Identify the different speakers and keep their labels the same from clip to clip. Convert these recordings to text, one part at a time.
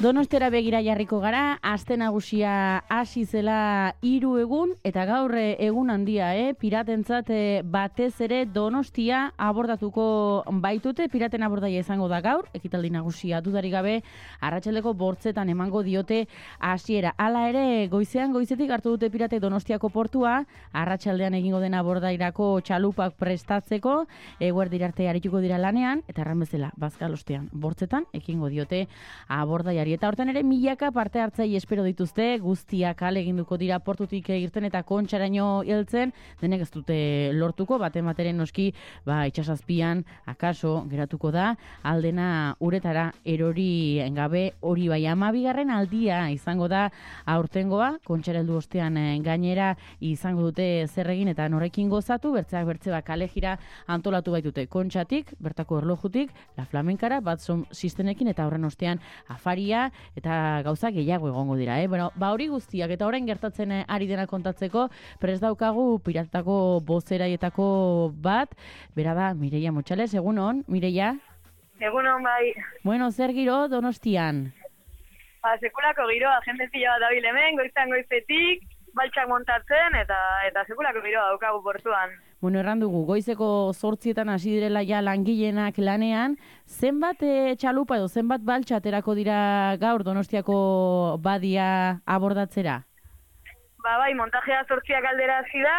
Speaker 1: Donostera begira jarriko gara, aste nagusia hasi zela 3 egun, eta gaur egun handia, piratentzat batez ere Donostia abordatuko baitute, piraten abordaia izango da gaur, ekitaldi nagusia dudarik gabe, arratsaldeko 8etan emango diote hasiera. Hala ere, goizetik hartu dute pirate Donostiako portua, arratsaldean egingo den abordairako txalupak prestatzeko, eguerdira arte arituko dira lanean, eta erran bezala, bazkalostean 8etan ekingo diote abordaiari. Eta hortan ere milaka parte hartzaile espero dituzte, guztiak ahaleginduko dira portutik irten eta kontxaraino heltzen, denek ez dute lortuko, bateren noski, itxasazpian, akaso geratuko da, aldena uretara erori gabe, hori bai 12. aldia izango da aurtengoa, kontxara heldu ostean gainera izango dute zer egin eta norrekin gozatu, bertzeak bertzeba kalejira antolatu baitute kontxatik, bertako erlojutik, la flamenkara, batzon sistenekin eta horren ostean afaria, eta gauza gehiago egongo dira. Hori guztiak eta orain gertatzen ari dena kontatzeko, prest daukagu piratako bozeraietako bat, bera da Mireia Motxales, egunon, Mireia?
Speaker 2: Egunon, bai.
Speaker 1: Bueno, zer giro Donostian?
Speaker 2: Sekulako giroa, jende zila bat dabil hemen, goizetik, baltsak montatzen, eta sekulako giroa daukagu portuan.
Speaker 1: Bueno, erran dugu, goizeko 8etan hasi direla ja langileenak lanean, zenbat txalupa edo zenbat baltsa aterako dira gaur Donostiako badia abordatzera?
Speaker 2: Bai, montajea 8 aldera hasi da,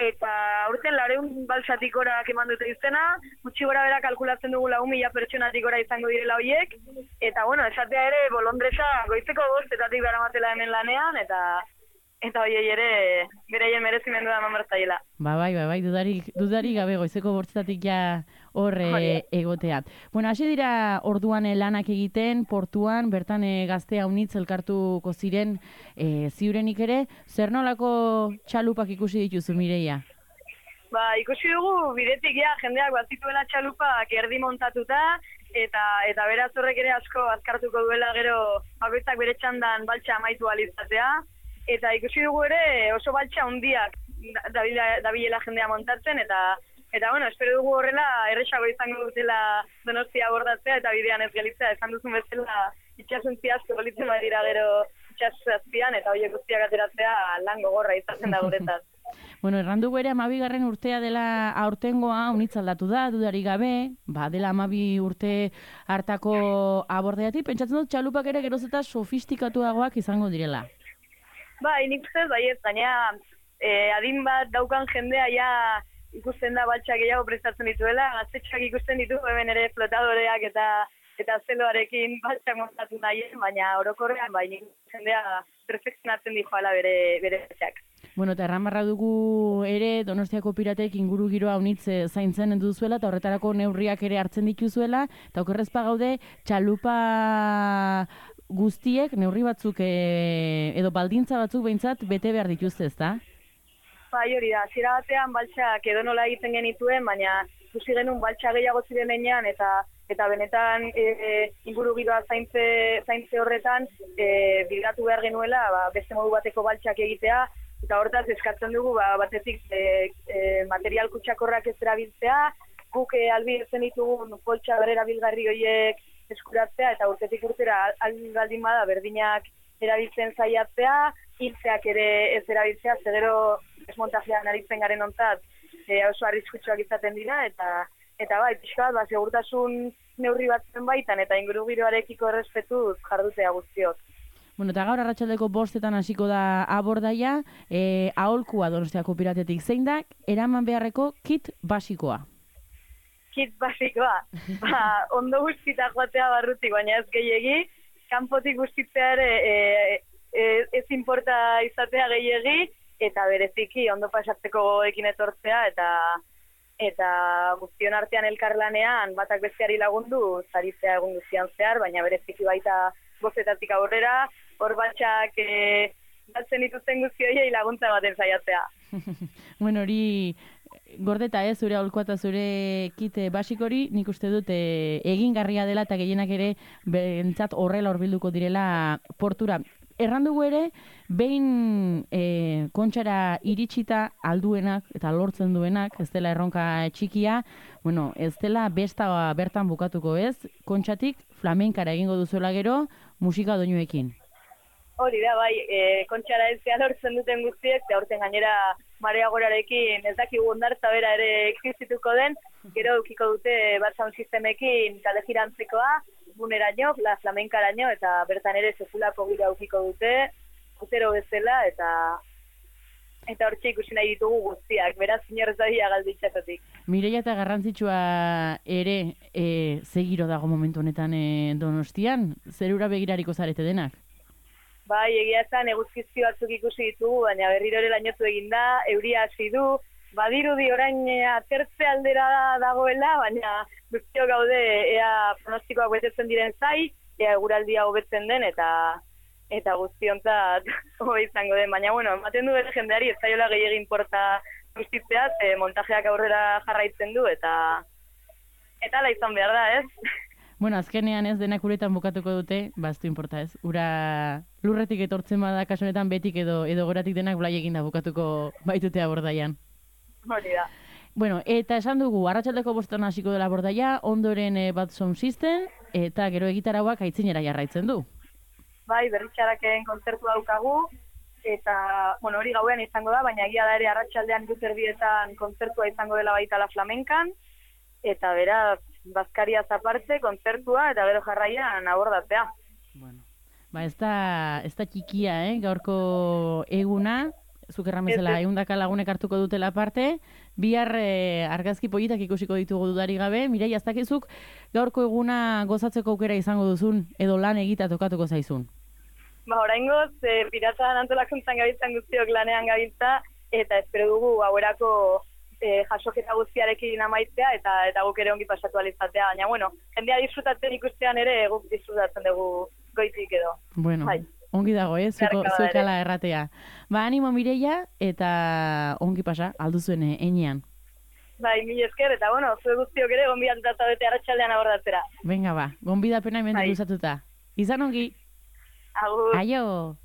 Speaker 2: eta aurten 400 baltsatik orak eman dute izena, gutxi gora bera kalkulatzen dugu 4.000 pertsonatik ora izango direla horiek, eta esatea ere bolondresa goizeko 5etatik beramatela hemen lanean, eta hoiei ere bereien merezimendu da eman bertzaiela.
Speaker 1: Bai, dudarik gabe goizeko 5etatik ja horre egotea. Bueno, hasi dira orduan lanak egiten, portuan, bertan gazte haunitz elkartuko ziren ziurenik ere, zer nolako txalupak ikusi dituzu, Mireia?
Speaker 2: Ikusi dugu bidetik jendeak bazituela txalupak erdi montatuta, eta beraz horrek ere asko azkartuko duela gero bakoitzak bere txandan baltsa amaitu alizatea, eta ikusi dugu ere oso baltsa handiak dabilela jendea montatzen, eta espero dugu horrela erresago izango dutela Donostia abordatzea eta bidean ez gelitzea, esan duzun bezala itxasuntzi asko gelitzen badira gero itxasazpian, eta horiek guztiak ateratzea lan gogorra izaten da guretzat.
Speaker 1: Bueno, erran dugu ere 12. urtea dela aurtengoa, unitz aldatu da, dudarik gabe, dela 12 urte hartako abordaiatik, pentsatzen dut txalupak ere geroz eta sofistikatuagoak izango direla.
Speaker 2: Nik ustez, baina adin bat daukan jendea ikusten da baltsak gehiago prestatzen dituela, gaztetxoak ikusten ditu, hemen ere flotadoreak eta zeloarekin baltsak montatu nahien, baina orokorrean nik jendea perfekzionatzen dijoala bere baltsak.
Speaker 1: Bueno, eta erran dugu ere Donostiako piratek inguru giroa unitz zaintzen duzuela, eta horretarako neurriak ere hartzen dituzuela, eta okerrezpa gaude txalupa guztiek neurri batzuk edo baldintza batzuk behintzat bete behar dituzte, ezta?
Speaker 2: Hori da, zira batean baltsak edo nola egiten genituen, baina ikusi genuen baltsa gehiago ziren enean, eta benetan inguru giroa zaintze horretan bilatu behar genuela beste modu bateko baltsak egitea, eta hortaz eskatzen dugu batetik material kutsakorrak ez erabiltzea, guk albidetzen ditugun poltsa bererabilgarri horiek eskuratzea, eta urtetik urtera albaldin bada berdinak erabiltzen saiatzea, hiltzeak ere ez erabiltzea, zegero desmontajean aritzen garen ontzat oso arriskutsuak izaten dira, eta pixka bat, segurtasun neurri batzen baitan, eta inguru giroarekiko errespetuz jardutea guztiok.
Speaker 1: Bueno, eta gaur arratsaldeko 5etan hasiko da abordaia, aholkua Donostiako piratetik zein da, eraman beharreko kit basikoa.
Speaker 2: Kit basikoa, ondo guztita joatea barrutik, baina ez gehiegi, kanpotik guztitzea ere ez importa izatea gehiegi, eta bereziki ondo pasatzeko gogoekin etortzea, eta guztion artean elkarlanean batak besteari lagundu, zaritzea egun guztian zehar, baina bereziki baita 5etatik aurrera, hor batxak batzen dituzten guzti horiei laguntza baten saiatzea.
Speaker 1: Bueno, hori gordeta zure aholkoa eta zure kit basikori, nik uste dut egingarria dela eta gehienak ere bentsat horrela horbilduko direla portura. errandugu ere, behin kontxara iritsita alduenak eta lortzen duenak, ez dela erronka txikia, bueno, ez dela besta bertan bukatuko ez, kontxatik flamenkara egingo duzuela gero, musika doinuekin.
Speaker 2: Hori da, bai, kontxara ezea lortzen duten guztiek, eta horten gainera Marea Gorarekin ez dakigu ondartza bera ere existituko den, gero eukiko dute bat sound sistemekin talde jirantzekoa, buneraino, la flamenkaraino, eta bertan ere sefulako gira eukiko dute, utero bezala, eta hortxe ikusi nahi ditugu guztiak, beraz inorez daia galditzatatik.
Speaker 1: Mireia eta garrantzitsua ere zegiro dago momentu honetan Donostian, zerura begirariko zarete denak?
Speaker 2: Bai, egia esan eguzkizki batzuk ikusi ditugu, baina berriro ere lainotu eginda, euria hasi du, badirudi orain atertze aldera dagoela, baina guztio gaude ea pronostikoak betetzen diren zai, ea eguraldia hobetzen den, eta guztiontzat hobe izango den. Baina, bueno, ematen du bere jendeari ez zaiola gehiagin porta guztitzeaz, montajeak aurrera jarraitzen du, eta ala izan behar da, ez?
Speaker 1: Bueno, azkenean ez denak uretan bukatuko dute, baztu inporta ez. Ura lurretik etortzen bada kasu honetan betik edo goratik denak blai eginda bukatuko baitute Abordaian.
Speaker 2: Hori da.
Speaker 1: Bueno, eta esan dugu, arratsaldeko 5 hasiko dela Abordaia, ondoren Bad Sound System, eta gero egitarauak aitzinera jarraitzen du.
Speaker 2: Bai, berritxaraken kontzertu daukagu, eta, bueno, hori gauean izango da, baina egia da ere arratsaldean erdietan kontzertua izango dela baita la flamenkan, eta beraz, bazkariaz aparte, kontzertua, eta gero jarraian abordatzea.
Speaker 1: Bueno, ba ez da txikia, gaurko eguna, zuk erramezela, 100 lagunek hartuko dutela parte, bihar argazki politak ikusiko ditugu dudari gabe, Mireia, ez dakizuk gaurko eguna gozatzeko aukera izango duzun, edo lan egita tokatuko zaizun?
Speaker 2: Ba, oraingoz, piratan antolakuntzan gabiltzan guztiok lanean gabiltza, eta espero dugu hauerako jasoketa guztiarekin amaitzea eta guk ere ongi pasatu alizatea, baina bueno, jendea disfrutatzen ikustean ere guk disfrutatzen dugu goitik edo.
Speaker 1: Bueno, bai. Ongi dago, zuekala erratea. Ba, animo Mireia eta ongi pasa, alduzuen enean.
Speaker 2: Bai, mil esker, eta bueno, zue guztiok ere gonbidatuta bete arratsaldean abordatzera.
Speaker 1: Venga ba, gonbidapena hemen luzatuta. Izan ongi.
Speaker 2: Agur.
Speaker 1: Aio.